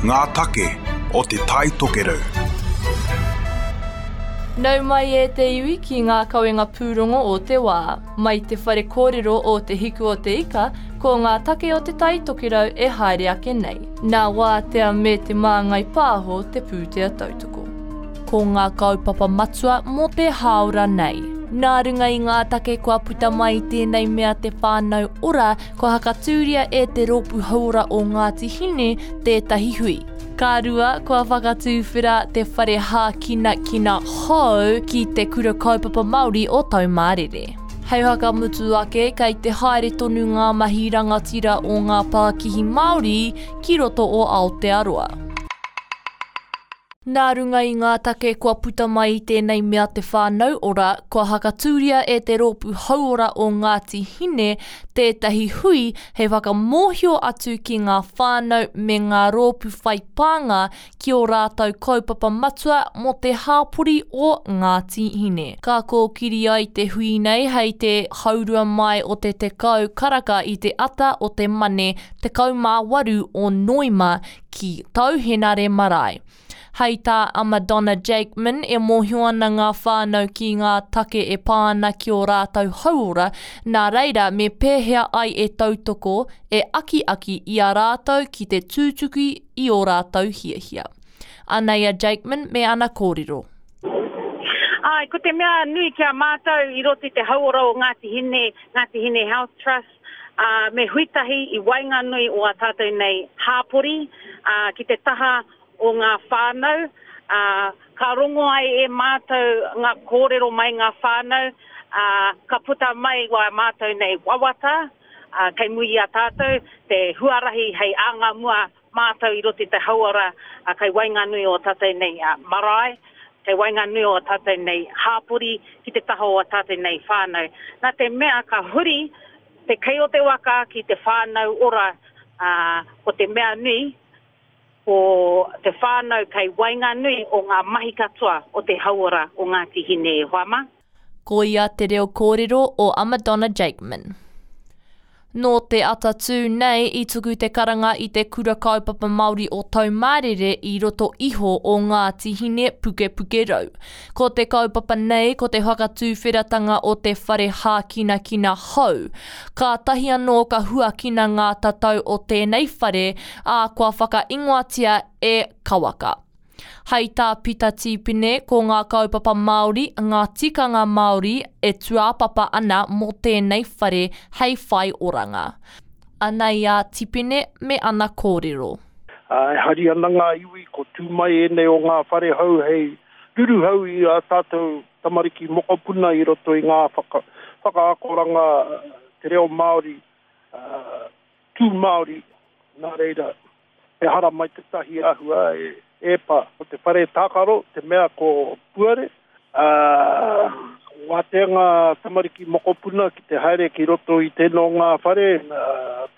Ngā take o Te Tai Tokerau. Nau mai e te iwi ki ngā kawenga pūrongo o te wā. Mai te whare kōrero o Te Hiku o Te Ika, ko ngā take o Te Tai Tokerau e haere ake nei. Nā Wātea me Te Māngai Pāho te pūtea tautoko. Ko ngā kaupapa matua mō te hāora nei. Nā runga i ngā take kua puta mai i tēnei mea te whānau ora, kua hakatūria e Te Rōpū Hauora o Ngāti Hine tētahi hui. Ka rua, kua whakatūwhera te whare hākinakina hou ki Te Kura Kaupapa Māori o Taumārere. Hei whakamutu ake, kei te haere tonu ngā mahi rangatira o ngā pākihi Māori ki roto o Aotearoa. Nā runga i ngā take kua puta mai i tēnei mea te whānau ora, kua hakatūria e te Rōpū Hauora o Ngāti Hine tētahi hui hei whakamōhio atu ki ngā whānau me ngā rōpū whai pānga ki ō rātou kaupapa matua mō te hāpori o Ngāti Hine. Ka kōkiri ai te hui nei hei te haurua mai o te 10 karaka i te ata o te Mane 18 o Noema ki Tauhenare Marae. Hei tā a Madonna Jakeman, e mōhio ana ngā whānau ki ngā take e pā ana ki ō rātou hauora, nā reira me pēhea ai e tautoko, e akiaki i a rātou ki te tūtuki i ō rātou hiahia. Anei a Jakeman me ana kōrero. Āe, ko te mea nui ki a mātou i roto i te hauora o Ngāti Hine, Ngāti Hine Health Trust, ā, me huitahi i waenganui o ā tātou nei hāpori, ā, ki te taha o ngā whānau, ā, ka rongo ai e mātou ngā kōrero mai ngā whānau, ā, ka puta mai wā mātou nei wawata, ā, kei muri i a tātou te huarahi hei anga mua mātou i roto i te hauora, ā, kei waenganui o ā tātou nei marae, kei waenganui o ā tātou nei hāpori, ki te taha o ā tātou nei whānau. Nā te mea ka huri te kei o te waka ki te whānau ora, ā, ko te mea nui, ko te whānau kei waenganui o ngā mahi katoa o te hauora o Ngāti Hine e hoa mā. Ko ia te reo kōrero o a Madonna Jakeman. Nō te atatū nei i tuku te karanga i te Kura Kaupapa Māori o Taumārere i roto iho o Ngāti Hine Pukepukerau. Ko te kaupapa nei ko te whakatūwheratanga o te whare hākinakina hou. Kātahi anō ka huakina ngā tatau o tēnei whare, ā, kua whakaingoatia e Kawaka. Hai tā Pita Tīpene, ko ngā kaupapa Māori, ngā tikanga Māori e tūāpapa ana mō tēnei whare hei whai oranga. Anei a Tipene me ana kōrero. Ā, e hari ana ngā iwi ko tū mai ēnei o ngā whare hou hei ruruhau i ā tātou tamariki mokopuna i roto i ngā whaka, whakaakoranga te reo Māori, ā, tū Māori, nā reira, He haramai tētahi āhua e pa. Ko te whare tākaro te mea ko Puare, ā, wātea ngā tamariki mokopuna ki te haere ki roto i tēnō ngā whare,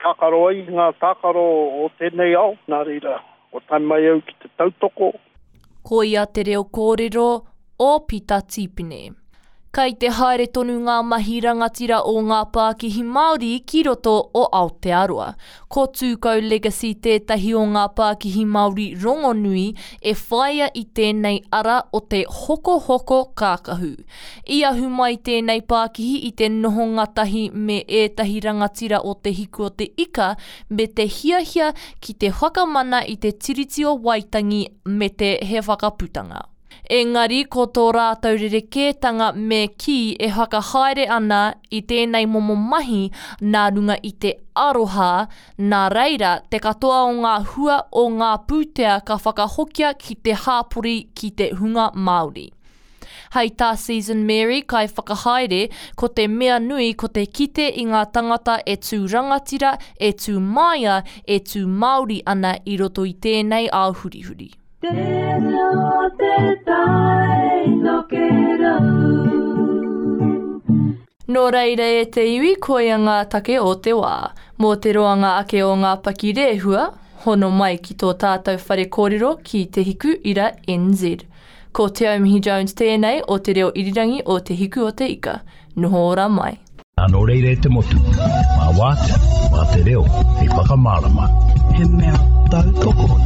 tākaro ai i ngā tākaro o tēnei ao. Nā reira, kua tae mai au ki te tautoko. Koia te reo kōrero o Pita Tīpene. Kai te haere tonu ngā mahi rangatira o ngā pākihi Māori ki roto o Aotearoa. Ko Tūkau Legacy tētahi o ngā pākihi Māori rongonui e whāia i tēnei ara o te hokohoko kākahu. I ahu mai tēnei pākihi i te noho ngatahi me ētahi rangatira o Te Hiku o te Ika me te hiahia ki te whakamana i te Tiriti o Waitangi me te He Whakaputanga. Engari ko tō rātou rerekētanga me kī e whakahaere ana i tēnei momo mahi nā runga i te aroha, nā reira te katoa o ngā hua o ngā pūtea ka whakahokia ki te hāpori ki te hunga Māori. Hei tā Season Mary, kaiwhakahaere, ko te mea nui ko te kite i ngā tangata e tū rangatira, e tū māia, e tū Māori ana i roto i tēnei ao hurihuri. Te reo te tai tokerau. Nō reira e te iwi koia ngā take o te wā. Mō te roanga ake o ngā pakirehua, hono mai ki tō tātou whare kōrero ki Te Hiku Ira NZ. Ko Te Aumihi Jones tēnei o Te Reo Irirangi o Te Hiku o Te Ika. Noho ora mai. Nō reira e te motu, mā Wātea, mā te reo hei whakamārama. He mea tautoko.